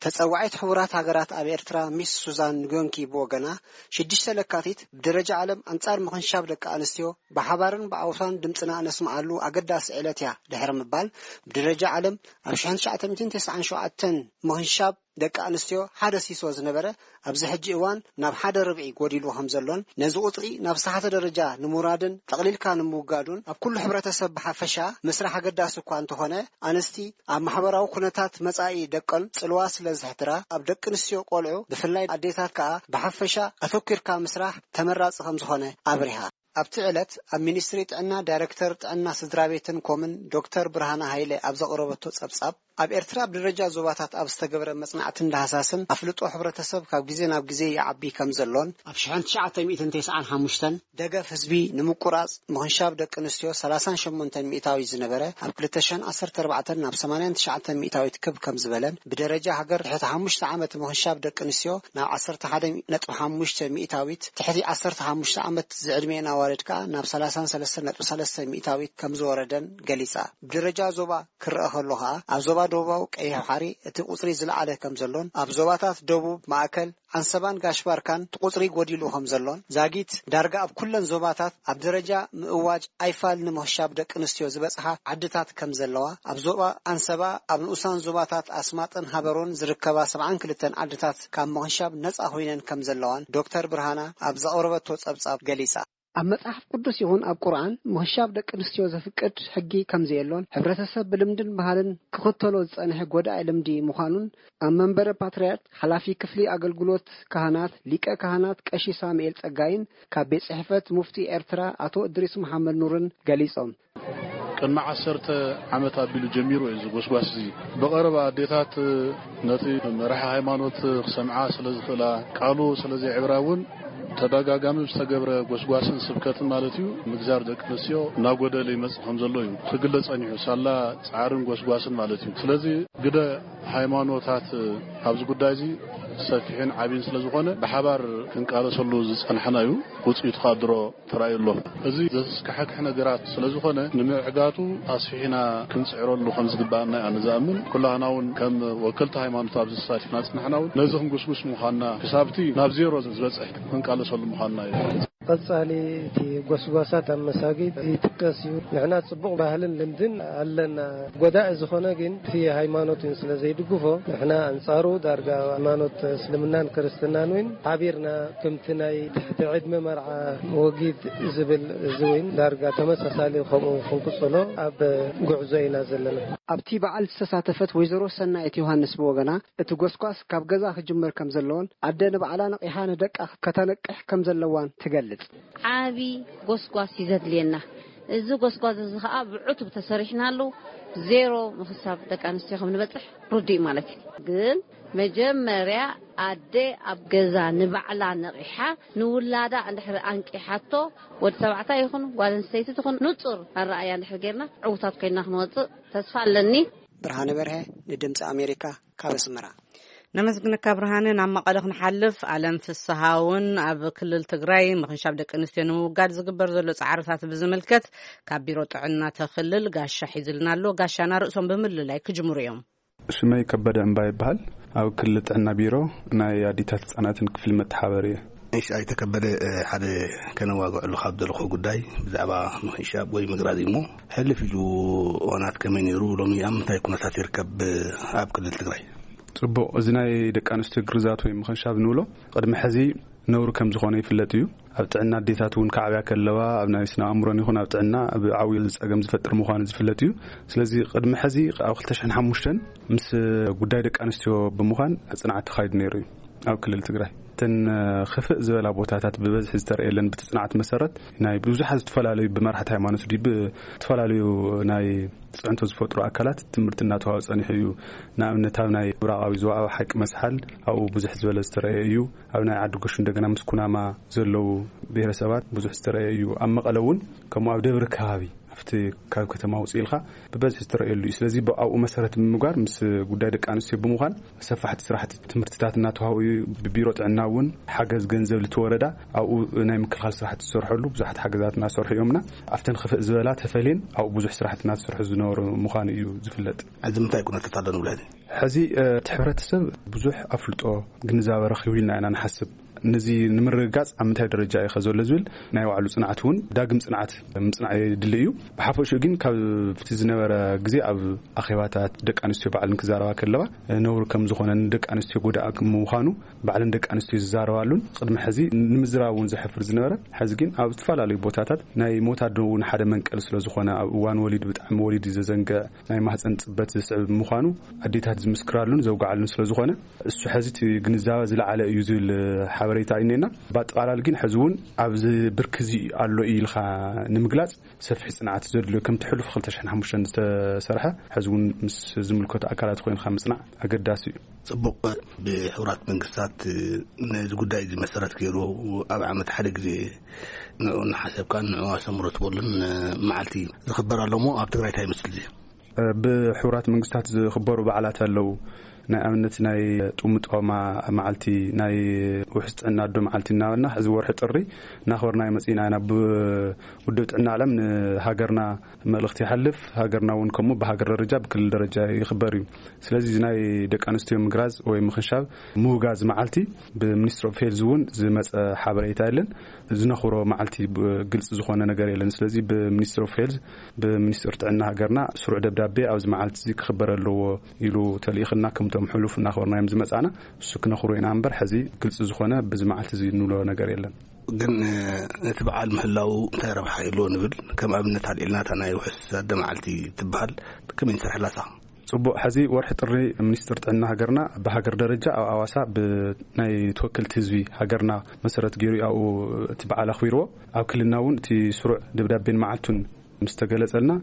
ተጸዋዒት ሕቡራት ሃገራት ኣብ ኤርትራ ሚስ ሱዛን ንጎንኪ ብወገና፣ ሽዱሽተ ለካቲት ብደረጃ ዓለም ኣንጻር ምኽንሻብ ደቂ ኣንስትዮ ብሓባርን ብኣውሳን ድምጽና እነስምዓሉ ኣገዳሲ ዕለት እያ ድሕሪ ምባል፣ ብደረጃ ዓለም ኣብ ሽሕን ትሽዓተ ሚእትን ተስዓን ሸውዓተን ምኽንሻብ ደቂ ኣንስትዮ ሓደ ሲሶ ዝነበረ፣ ኣብዚ ሕጂ እዋን ናብ ሓደ ርብዒ ጎዲሉ ከም ዘሎን፣ ነዚ ቁጽሪ ናብ ዝተሓተ ደረጃ ንምውራድን ጠቕሊልካ ንምውጋዱን ኣብ ኩሉ ሕብረተሰብ ብሓፈሻ ምስራሕ ኣገዳሲ እኳ እንተኾነ፣ ኣንስቲ ኣብ ማሕበራዊ ኩነታት መጻኢ ደቀን ጽልዋ ስለ ዘሕድራ፣ ኣብ ደቂ ኣንስትዮ ቆልዑ ብፍላይ ኣዴታት ከኣ ብሓፈሻ ኣተኲርካ ምስራሕ ተመራጺ ከም ዝኾነ ኣብሪሃ። ኣብቲ ዕለት ኣብ ሚኒስትሪ ጥዕና ዳይረክተር ጥዕና ስድራ ቤትን ኮምን ዶክተር ብርሃነ ሃይለ ኣብ ዘቕረበቶ ጸብጻብ፣ ኣብ ኤርትራ ኣብ ደረጃ ዞባታት ኣብ ዝተገብረ መጽናዕትን ዳህሳስን ኣፍልጦ ሕብረተሰብ ካብ ግዜ ናብ ግዜ ይዓቢ ከም ዘሎን፣ ኣብ ሽሕን ትሽዓተ ሚእትን ተስዓን ሓሙሽተን ደገፍ ህዝቢ ንምቁራጽ ምኽንሻብ ደቂ ኣንስትዮ ሰላሳን ሸሞንተን ሚእታዊት ዝነበረ ኣብ ክልተ ሽሕን ዓሰርተ ኣርባዕተን ናብ ሰማንያን ትሽዓተን ሚእታዊት ክብ ከም ዝበለን፣ ብደረጃ ሃገር ትሕቲ ሓሙሽተ ዓመት ምኽንሻብ ደቂ ኣንስትዮ ናብ ዓሰርተ ሓደ ነጥቢ ሓሙሽተ ሚእታዊት፣ ትሕቲ ዓሰርተ ሓሙሽተ ዓመት ዝዕድሜን ኣዋልድ ከኣ ናብ ሰላሳን ሰለስተን ነጥቢ ሰለስተ ሚእታዊት ከም ዝወረደን ገሊጻ። ብደረጃ ዞባ ክረኣ ከሎ ከኣ፣ ኣብ ዞባ ደቡባዊ ቀይሕ ባሕሪ እቲ ቁጽሪ ዝለዓለ ከም ዘሎን፣ ኣብ ዞባታት ደቡብ፣ ማእከል፣ ዓንሰባን ጋሽ ባርካን እቲ ቁጽሪ ጎዲሉ ከም ዘሎን፣ ዛጊት ዳርጋ ኣብ ኩለን ዞባታት ኣብ ደረጃ ምእዋጅ ኣይፋል ንምኽሻብ ደቂ ኣንስትዮ ዝበጽሓ ዓድታት ከም ዘለዋ፣ ኣብ ዞባ ዓንሰባ ኣብ ንኡሳን ዞባታት ኣስማጥን ሃበሮን ዝርከባ ሰብዓን ክልተን ዓድታት ካብ ምኽንሻብ ነጻ ኮይነን ከም ዘለዋን ዶክተር ብርሃና ኣብ ዘቕረበቶ ጸብጻብ ገሊጻ። ኣብ መጽሓፍ ቅዱስ ይኹን ኣብ ቁርኣን ምኽንሻብ ደቂ ኣንስትዮ ዘፍቅድ ሕጊ ከም ዘየሎን፣ ሕብረተሰብ ብልምድን ባህልን ክኽተሎ ዝጸንሐ ጎዳኢ ልምዲ ምዃኑን፣ ኣብ መንበረ ፓትርያርክ ሓላፊ ክፍሊ ኣገልግሎት ካህናት ሊቀ ካህናት ቀሺ ሳሙኤል ጸጋይን ካብ ቤት ጽሕፈት ሙፍቲ ኤርትራ ኣቶ እድሪስ መሓመድ ኑርን ገሊጾም። ቅድሚ ዓሰርተ ዓመት ኣቢሉ ጀሚሩ እዩ እዚ ጎስጓስ እዚ። ብቐረባ ኣዴታት ነቲ መራሒ ሃይማኖት ክሰምዓ ስለ ዝኽእላ፣ ቃሉ ስለ ዘይዕብራ እውን ተደጋጋሚ ዝተገብረ ጎስጓስን ስብከትን ማለት እዩ፣ ምግዛር ደቂ ኣንስትዮ እናጎደለ ይመጽእ ከም ዘሎ እዩ ክግለጽ ጸኒሑ፣ ሳላ ጻዕርን ጎስጓስን ማለት እዩ። ስለዚ ግደ ሃይማኖታት ኣብዚ ጉዳይ እዚ ሰፊሕን ዓብይን ስለ ዝኾነ፣ ብሓባር ክንቃለሰሉ ዝጸናሕና እዩ። ውጽኢቱ ከኣ ድሮ ተራእዩ ኣሎ። እዚ ዘስካሕክሕ ነገራት ስለ ዝኾነ፣ ንምዕጋቱ ኣስፊሕና ክንጽዕረሉ ከም ዝግባኣና እየ ኣነ ዝኣምን። ኩላህና እውን ከም ወከልቲ ሃይማኖት ኣብዚ ተሳቲፍና ጽናሕና እውን ነዚ ክንጉስጉስ ምዃንና፣ ክሳብቲ ናብ ዜሮ ዝበጽሕ ክንቃለሰሉ ምዃንና እዩ። ቀጻሊ እቲ ጎስጓሳት ኣብ መሳጊድ ይጥቀስ እዩ። ንሕና ጽቡቕ ባህልን ልምድን ኣለና። ጎዳኢ ዝኾነ ግን እቲ ሃይማኖት እውን ስለ ዘይድግፎ፣ ንሕና ኣንጻሩ ዳርጋ ሃይማኖት እስልምናን ክርስትናን እውን ሓቢርና፣ ከምቲ ናይ ትሕቲ ዕድመ መርዓ ወጊድ ዝብል እዚ እውን ዳርጋ ተመሳሳሊ ከምኡ ክንቅጽሎ ኣብ ጉዕዞ ኢና ዘለና። ኣብቲ በዓል ዝተሳተፈት ወይዘሮ ሰናይት ዮሃንስ ብወገና፣ እቲ ጎስጓስ ካብ ገዛ ክጅመር ከም ዘለዎን ኣደ ንባዕላ ነቒሓ ንደቃ ከተነቅሕ ከም ዘለዋን ትገልጽ። ዓቢ ጎስጓስ እዩ ዘድልየና። እዚ ጎስጓስ እዚ ኸኣ ብዕቱብ ተሰሪሕናሉ፣ ዜሮ ምኽሳብ ደቂ ኣንስትዮ ከም ንበጽሕ ርዱእ ማለት እዩ። ግን መጀመርያ ኣደ ኣብ ገዛ ንባዕላ ነቒሓ፣ ንውላዳ እንድሕር ኣንቂሓቶ፣ ወዲ ተባዕታይ ይኹን ጓል ኣንስተይቲ ትኹን፣ ንጹር ኣረኣያ እንድሕር ጌርና፣ ዕዉታት ኮይና ክንወጽእ ተስፋ ኣለኒ። ብርሃነ በርሀ፣ ንድምፂ ኣሜሪካ፣ ካብ ኣስመራ። ነመስግነካ ብርሃነ። ናብ መቐለ ክንሓልፍ፣ ኣለም ፍስሃ እውን ኣብ ክልል ትግራይ ምኽንሻብ ደቂ ኣንስትዮ ንምውጋድ ዝግበር ዘሎ ጻዕርታት ብዝምልከት ካብ ቢሮ ጥዕና ተኽልል ጋሻ ሒዝልና ኣሎ። ጋሻና ርእሶም ብምልላይ ክጅምሩ እዮም። ሽመይ ከበደ እምባ ይበሃል። ኣብ ክልል ጥዕና ቢሮ ናይ ኣዲታት ህጻናትን ክፍሊ መተሓበሪ እየ። እሺ፣ ኣይተከበደ፣ እ፣ ሓደ ከነዋግዐሉ ካብ ዘለኹ ጉዳይ ብዛዕባ ምኽንሻብ ወይ ምግራዝ እዩ እሞ፣ ሕልፍ ኢሉ እዋናት ከመይ ነይሩ፣ ሎሚ ኣብ ምንታይ ኩነታት ይርከብ ኣብ ክልል ትግራይ? ጽቡቕ፣ እዚ ናይ ደቂ ኣንስትዮ ግርዛት ወይ ምኽንሻብ ንብሎ፣ ቅድሚ ሕዚ ነውሪ ከም ዝኾነ ይፍለጥ እዩ። ኣብ ጥዕና ኣዴታት እውን ክዓብያ ከለዋ ኣብ ናይ ስነ ኣእምሮን ይኹን ኣብ ጥዕና ኣብ ዓብዩ ጸገም ዝፈጥር ምዃኑ ዝፍለጥ እዩ። ስለዚ ቅድሚ ሕዚ ኣብ ክልተ ሽሕን ሓሙሽተን ምስ ጉዳይ ደቂ ኣንስትዮ ብምዃን ጽንዓት ተኻይዱ ነይሩ እዩ። ኣብ ክልል ትግራይ እተን ክፍእ ዝበላ ቦታታት ብበዝሒ ዝተረእየለን ብቲ ጽንዓት መሰረት ናይ ብዙሓት ዝተፈላለዩ ብመራሕቲ ሃይማኖት ድዩ ብዝተፈላለዩ ናይ ጽዕንቶ ዝፈጥሩ ኣካላት ትምህርቲ እናተዋሃበ ጸኒሑ እዩ። ንኣብነት ኣብ ናይ ምብራቓዊ ዞባ ኣብ ሓቂ መስሓል ኣብኡ ብዙሕ ዝበለ ዝተረእየ እዩ። ኣብ ናይ ዓዲ ጎሹ እንደገና ምስ ኩናማ ዘለዉ ብሄረሰባት ብዙሕ ዝተረእየ እዩ። ኣብ መቐለ እውን ከምኡ ኣብ ደብሪ ከባቢ ኣብቲ ካብ ከተማ ውፅእ ኢልካ ብበዝሒ ዝተረእየሉ እዩ። ስለዚ ብኣብኡ መሰረት ብምግባር ምስ ጉዳይ ደቂ ኣንስትዮ ብምዃን ሰፋሕቲ ስራሕቲ ትምህርትታት እናተዋህቡ እዩ። ብቢሮ ጥዕና እውን ሓገዝ ገንዘብ ልቲ ወረዳ ኣብኡ ናይ ምክልኻል ስራሕቲ ዝሰርሐሉ ብዙሓት ሓገዛት እናሰርሑ እዮምና። ኣብተን ክፍእ ዝበላ ተፈልየን ኣብኡ ብዙሕ ስራሕቲ እናተሰርሑ ዝነበሩ ምዃኑ እዩ ዝፍለጥ። ሕዚ ምንታይ ኩነታት ኣሎ ንብሎ ሕዚ? ሕዚ፣ እ፣ እቲ ሕብረተሰብ ብዙሕ ኣፍልጦ ግንዛበ ረኺቡ ኢልና ኢና ንሓስብ። ነዚ ንምርግጋጽ ኣብ ምንታይ ደረጃ እዩ ከ ዘሎ ዝብል ናይ ባዕሉ ጽንዓት እውን ዳግም ጽንዓት ምጽናዕ የድሊ እዩ። ብሓፈሽኡ ግን ካብቲ ዝነበረ ግዜ ኣብ ኣኼባታት ደቂ ኣንስትዮ ባዕለን ክዛረባ ከለዋ ነውሪ ከም ዝኾነ ንደቂ ኣንስትዮ ጎዳኢ ምዃኑ ባዕለን ደቂ ኣንስትዮ ዝዛረባሉን ቅድሚ ሕዚ ንምዝራብ እውን ዘሕፍር ዝነበረ ሕዚ ግን ኣብ ዝተፈላለዩ ቦታታት ናይ ሞት ኣዶ እውን ሓደ መንቀል ስለ ዝኾነ ኣብ እዋን ወሊድ ብጣዕሚ ወሊድ ዘዘንግዕ ናይ ማህፀን ጽበት ዘስዕብ ምዃኑ ኣዴታት ዝምስክራሉን ዘውግዓሉን ስለ ዝኾነ እሱ ሕዚ እቲ ግንዛበ ዝለዓለ እዩ ዝብል ሓበሬታ እዩ እኔና። ብኣጠቓላሊ ግን ሕዚ እውን ኣብዚ ብርኪ እዚ ኣሎ እዩ ኢልካ ንምግላጽ ሰፊሕ ጽንዓት ዘድልዮ ከምቲ ሕሉፍ ክልተ ሽሕን ሓሙሽተን ዝተሰርሐ ሕዚ እውን ምስ ዝምልከቱ ኣካላት ኮይንካ ምጽናዕ ኣገዳሲ እዩ። ጽቡቕ። ብሕቡራት መንግስታት ነዚ ጉዳይ እዚ መሰረት ገይሩ ኣብ ዓመት ሓደ ግዜ ንዑ እናሓሰብካን ንዑ ኣሰምሮ ትበሉን መዓልቲ ዝኽበር ኣሎ እሞ ኣብ ትግራይ እንታይ ይመስል እዚ? ብሕቡራት መንግስታት ዝኽበሩ በዓላት ኣለዉ። ናይ ኣብነት ናይ ጥሙጦማ መዓልቲ፣ ናይ ውሕስ ጥዕና ኣዶ መዓልቲ እናበልና ሕዚ ወርሒ ጥሪ እናኽበርና መጺእና ኢና። ብውድብ ጥዕና ዓለም ንሃገርና መልእኽቲ ይሓልፍ። ሃገርና እውን ከምኡ ብሃገር ደረጃ ብክልል ደረጃ ይኽበር እዩ። ስለዚ እዚ ናይ ደቂ ኣንስትዮ ምግራዝ ወይ ምኽንሻብ ምውጋዝ መዓልቲ ብሚኒስትሪ ኦፍ ሄልዝ እውን ዝመፀ ሓበሬታ የለን። ዝነኽብሮ መዓልቲ ብ-፣ ግልፂ ዝኾነ ነገር የለን። ስለዚ ብሚኒስትሪ ኦፍ ሄልዝ ብሚኒስትሪ ጥዕና ሃገርና ስሩዕ ደብዳቤ ኣብዚ መዓልቲ እዚ ክኽበር ኣለዎ ኢሉ ተልኢኽና ከምቶም ሕሉፍ እናኽበርናዮም ዝመፃና እሱ ክነኽብሮ ኢና እምበር ሕዚ ግልፂ ዝኾነ ብዚ መዓልቲ እዚ እንብሎ ነገር የለን። ግን እቲ በዓል ምህላው እንታይ ረብሓ ይህልዎ ንብል? ከም ኣብነት ኣልዒልና እታ ናይ ውሕስ ኣደ መዓልቲ ትበሃል ከመይ ንሰርሐላ እሳ? ጽቡቕ። ሕዚ ወርሒ ጥሪ ሚኒስትር ጥዕና ሃገርና ብሃገር ደረጃ ኣብ ኣዋሳ ብናይ ተወከልቲ ህዝቢ ሃገርና መሰረት ገይሩ ኣብኡ እቲ በዓል ኣኽቢርዎ። ኣብ ክልልና እውን እቲ ስሩዕ ደብዳቤን መዓልቱን ምስ ተገለጸልና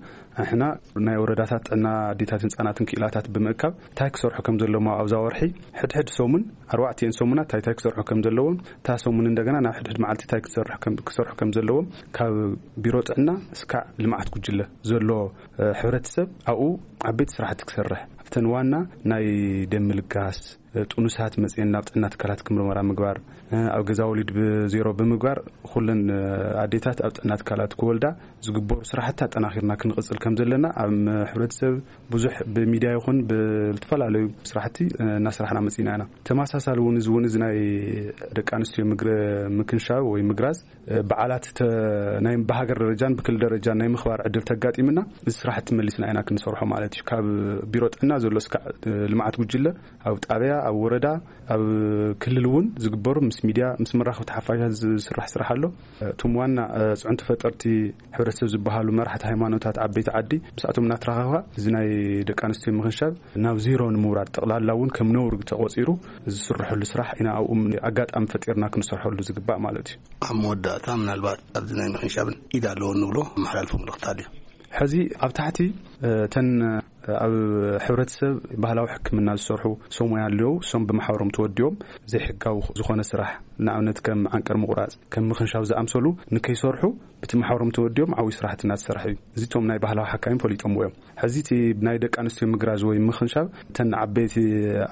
ኣሕና ናይ ወረዳታት ጥዕና ኣዴታትን ህጻናትን ክኢላታት ብምእካብ እንታይ ክሰርሑ ከም ዘለዎም ኣብዛ ወርሒ ሕድሕድ ሰሙን ኣርባዕቲኤን ሰሙናት እንታይ እንታይ ክሰርሑ ከም ዘለዎም እታ ሰሙን እንደገና ናብ ሕድሕድ መዓልቲ እንታይ ክሰርሑ ከም ዘለዎም ካብ ቢሮ ጥዕና እስካዕ ልምዓት ጉጅለ ዘሎ ሕብረተሰብ ኣብኡ ዓበይቲ ስራሕቲ ክሰርሕ ኣብተን ዋና ናይ ደም ምልጋስ ጥኑሳት መጽየን ናብ ጥዕና ትካላት ክምርመራ ምግባር፣ ኣብ ገዛ ወሊድ ብዜሮ ብምግባር፣ ኩለን ኣዴታት ኣብ ጥዕና ትካላት ክወልዳ ዝግበሩ ስራሕቲ ኣጠናኺርና ክንቕጽል ከም ዘለና ኣብ ሕብረተሰብ ብዙሕ ብሚድያ ይኹን ብዝተፈላለዩ ስራሕቲ እናስራሕና መጺና ኢና። ተመሳሳሊ እውን እዚ እውን እዚ ናይ ደቂ ኣንስትዮ ምግረ-፣ ምክንሻብ ወይ ምግራዝ በዓላት ተ-፣ ናይ ብሃገር ደረጃን ብክልል ደረጃን ናይ ምኽባር ዕድል ተጋጢምና፣ እዚ ስራሕቲ መሊስና ኢና ክንሰርሖ ማለት እዩ። ካብ ቢሮ ጥዕና ዘሎ እስካዕ ልምዓት ጉጅለ ኣብ ጣብያ፣ ኣብ ወረዳ፣ ኣብ ክልል እውን ዝግበሩ ምስ ሚድያ፣ ምስ መራኸብቲ ሓፋሻት ዝስራሕ ስራሕ ኣሎ። እቶም ዋና፣ እ፣ ፅዕንቶ ፈጠርቲ ሕብረተሰብ ዝበሃሉ መራሕቲ ሃይማኖታት ዓበይቲ ዓዲ ምስኣቶም እናተራኸብካ እዚ ናይ ደቂ ኣንስትዮ ምኽንሻብ ናብ ዜሮ ንምውራድ ጠቕላላ እውን ከም ነውሪ ተቖፂሩ ዝስርሐሉ ስራሕ ኢና ኣብኡ ኣጋጣሚ ፈጢርና ክንሰርሐሉ ዝግባእ ማለት እዩ። ኣብ መወዳእታ ምናልባት ኣብዚ ናይ ምኽንሻብን ኢድ ኣለዎ እንብሎ መሓላልፎ መልእኽቲ ኣሎ። ሕዚ ኣብ ታሕቲ፣ እ፣ ተን ኣብ ሕብረተሰብ ባህላዊ ሕክምና ዝሰርሑ ሰብ ሞያ ኣለዉ። እሶም ብማሕበሮም ተወዲቦም ዘይሕጋዊ ዝኾነ ስራሕ፣ ንኣብነት ከም ዓንቀር ምቑራጽ፣ ከም ምኽንሻብ ዝኣምሰሉ ንከይሰርሑ ብቲ ማሕበሮም ተወዲቦም ዓብዪ ስራሕቲ እናተሰርሐ እዩ። እዚ እቶም ናይ ባህላዊ ሓካይም ፈሊጦምዎ እዮም። ሕዚ እቲ ናይ ደቂ ኣንስትዮ ምግራዝ ወይ ምኽንሻብ እተን ዓበይቲ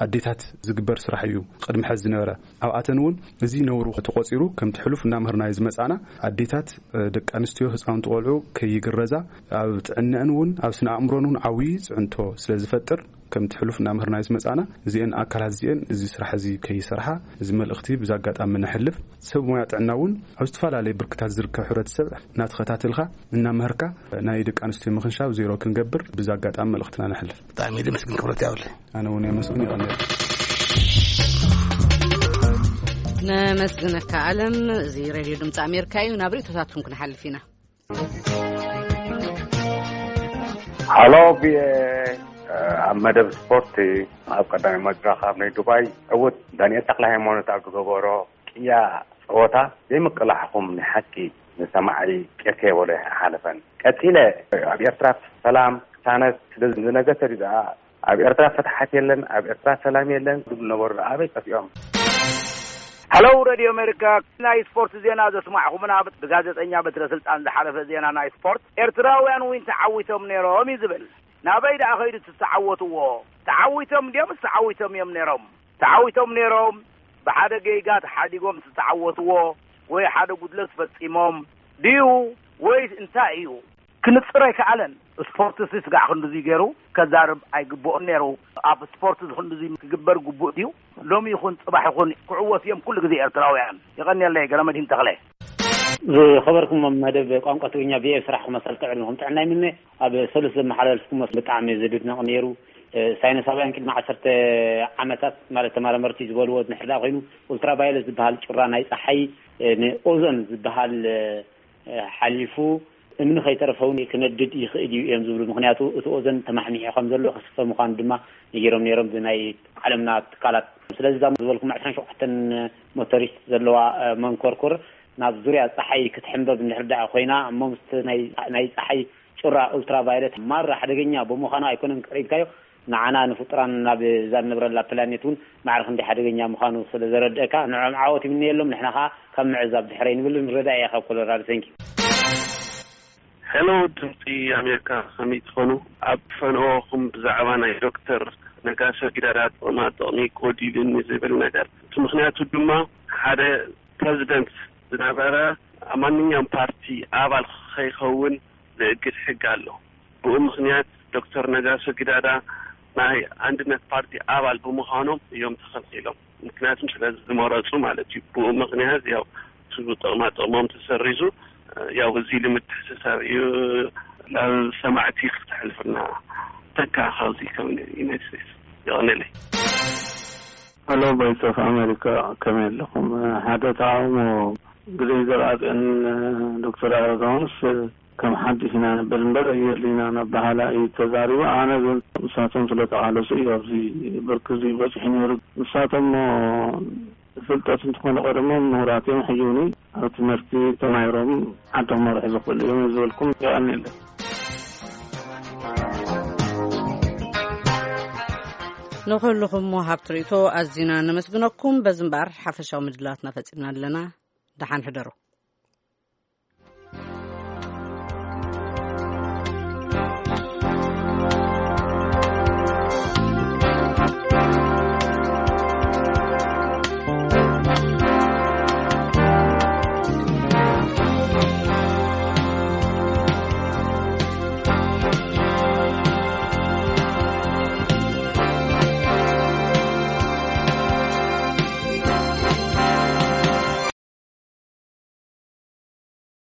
ኣዴታት ዝግበር ስራሕ እዩ ቅድሚ ሕዚ ዝነበረ። ኣብኣተን እውን እዚ ነውሩ ተቖጺሩ ከምቲ ሕሉፍ እናምህርናዮ ዝመጻና ኣዴታት፣ እ፣ ደቂ ኣንስትዮ፣ ህፃውንቲ ቆልዑ ከይግረዛ ኣብ ጥዕነአን እውን ኣብ ስነ ኣእምሮን እውን ዓብዪ ፅዕንቶ ስለ ዝፈጥር ከምቲ ሕሉፍ እናምህርናዮ ዝመጻና እዚአን ኣካላት እዚአን እዚ ስራሕ እዚ ከይሰርሓ እዚ መልእኽቲ ብዛ ኣጋጣሚ ነሕልፍ። ሰብ ሞያ ጥዕና እውን ኣብ ዝተፈላለየ ብርክታት ዝርከብ ሕብረተሰብ እናተኸታተልካ እናመህርካ ናይ ደቂ ኣንስትዮ ምኽንሻብ ዜሮ ክንገብር ብዛ ኣጋጣሚ መልእኽትና ነሕልፍ። ብጣዕሚ እየ ዘመስግን፣ ክብረት ያውለ። ኣነ እውን የመስግን፣ ይቐንየል። ነመስግነካ ኣለም። እዚ ሬድዮ ድምፂ ኣሜሪካ እዩ። ናብ ርእቶታትኩም ክንሓልፍ ኢና። ሃሎ ቪኦኤ፣ ኣብ መደብ ስፖርት ኣብ ቀዳማይ መድረኽ ኣብ ናይ ዱባይ ዕውት ዳንኤል ተክለ ሃይማኖት ኣብ ዝገበሮ ቅያ ጸወታ ዘይምቅላሕኹም ናይ ሓቂ ንሰማዒ ቄርተ የበሎ ኣይሓለፈን። ቀጺለ ኣብ ኤርትራ ሰላም ክሳነት ስለ ዝነገሰ ድኣ ኣብ ኤርትራ ፍትሓት የለን፣ ኣብ ኤርትራ ሰላም የለን ዝብሉ ነበሩ ኣበይ ጠፊኦም? ሃሎ ሬድዮ ኣሜሪካ፣ ናይ ስፖርት ዜና ዘስማዕኹምና ብጋዜጠኛ በትረ ስልጣን ዝሓለፈ ዜና ናይ ስፖርት፣ ኤርትራውያን ዊን ተዓዊቶም ነይሮም እዩ ዝብል። ናበይ ደኣ ከይዱ እቲ ዝተዓወትዎ? ተዓዊቶም ድዮም ዝተዓዊቶም እዮም ነይሮም? ተዓዊቶም ነይሮም። ብሓደ ጌጋ ተሓዲጎም ዝተዓወትዎ ወይ ሓደ ጉድለት ፈጺሞም ድዩ ወይስ እንታይ እዩ? ክንጽር ኣይከኣለን። ስፖርትሲ ስጋዕ ክንድዚ ገይሩ ከዛርብ ኣይግብኦን ነይሩ። ኣብ ስፖርት እዚ ክንድዚ ክግበር ግቡእ ድዩ? ሎሚ ይኹን ጽባሕ ይኹን ክዕወቱ እዮም ኩሉ ግዜ ኤርትራውያን። የቐንየለይ፣ ገለመድሂን ተኽለ። ዝኸበርኩም መደብ ቋንቋ ትግርኛ ቪኦኤ ስራሕ ክመሰል ጥዕና ይምነ። ኣብ ሰሉስ ዘመሓላልፍኩሞ ብጣዕሚ ዝድነቕ ነይሩ። እ፣ ሳይንሳውያን ቅድሚ ዓሰርተ ዓመታት ማለት ተመራመርቲ ዝበልዎ ንሕዳ ኮይኑ ኡልትራቫዮለት ዝበሃል ጩራ ናይ ፀሓይ፣ እ፣ ንኦዞን ዝበሃል፣ እ፣ ሓሊፉ እምኒ ከይተረፈ እውን ክነድድ ይኽእል እዩ እዮም ዝብሉ። ምኽንያቱ እቲ ኦዞን ተማሕሚሑ ከም ዘሎ ክስፈ ምዃኑ ድማ ነጊሮም ነይሮም ብናይ ዓለምና ትካላት። ስለዚ እዛ ዝበልኩም ዕስራን ሸውዓተን ሞተሪስት ዘለዋ፣ እ፣ መንኮርኮር ናብ ዙርያ ፀሓይ ክትሕንበብ እንድሕር ደኣ ኮይና እሞ ምስቲ ናይ፣ ናይ ፀሓይ ጩራ ኡልትራቫዮለት ማራ ሓደገኛ ብምዃኑ ኣይኮነን ቀሪብካዮ፣ ንዓና ንፍጡራን ናብ እዛ እንነብረላ ፕላኔት እውን ማዕረ ክንደይ ሓደገኛ ምዃኑ ስለ ዘረድአካ ንዕኦም ዓወት ይምነየሎም። ንሕና ኸዓ ካብ ምዕዛብ ድሕር ኣይንብልን። ረዳኢ እየ ካብ ኮሎራዶ። Thank you። ሄሎ ድምፂ ኣሜሪካ፣ ከመይ ትኾኑ? ኣብ ፈነወኹም ብዛዕባ ናይ ዶክተር ነጋሶ ጊዳዳ ጥቕማ ጥቕሚ ጎዲሉኒ ዝብል ነገር፣ እቲ ምኽንያቱ ድማ ሓደ ፕረዚደንት ዝነበረ ኣብ ማንኛውም ፓርቲ ኣባል ከይኸውን ዝእግድ ሕጊ ኣሎ። ብኡ ምኽንያት ዶክተር ነጋሶ ጊዳዳ ናይ ኣንድነት ፓርቲ ኣባል ብምዃኖም እዮም ተኸልኪሎም። ምክንያቱም ስለ ዝመረፁ ማለት እዩ። ብኡ ምኽንያት ያው እቲ ጥቕማ ጥቕሞም ተሰሪዙ፣ ያው እዚ ኢሉ ምትሕስሳብ እዩ። ናብ ሰማዕቲ ክተሕልፍና ተካ ካብዚ ከም ዩናይትድ ስቴትስ። የቐንየለይ። ሄሎ ቮይስ ኦፍ ኣሜሪካ፣ ከመይ ኣለኹም? ሓደ ተቓውሞ ግዜ ዘርኣጽዮን ዶክተር ኣረጋውንስ ከም ሓድሽ ኢና ንብል እምበር የድልይና እናበሃላ እዩ ተዛሪቡ። ኣነ ግን ንሳቶም ስለ ተቓለሱ እዩ ኣብዚ ብርኪ እዚ በጺሑ ነይሩ። ንሳቶም እሞ ፍልጠት እንተኾነ ቀደሞም ምሁራት እዮም። ሕጂ እውን ኣብ ትምህርቲ ተማሂሮም ዓዶም መርሑ ዝኽእሉ እዮም ዝበልኩም። የቐንየለይ። ንኹልኹም ወሃብቲ ርእይቶ ኣዚና ነመስግነኩም። በዚ እምበኣር ሓፈሻዊ ምድላዋትና ፈጺምና ኣለና። ደሓን ሕደሩ።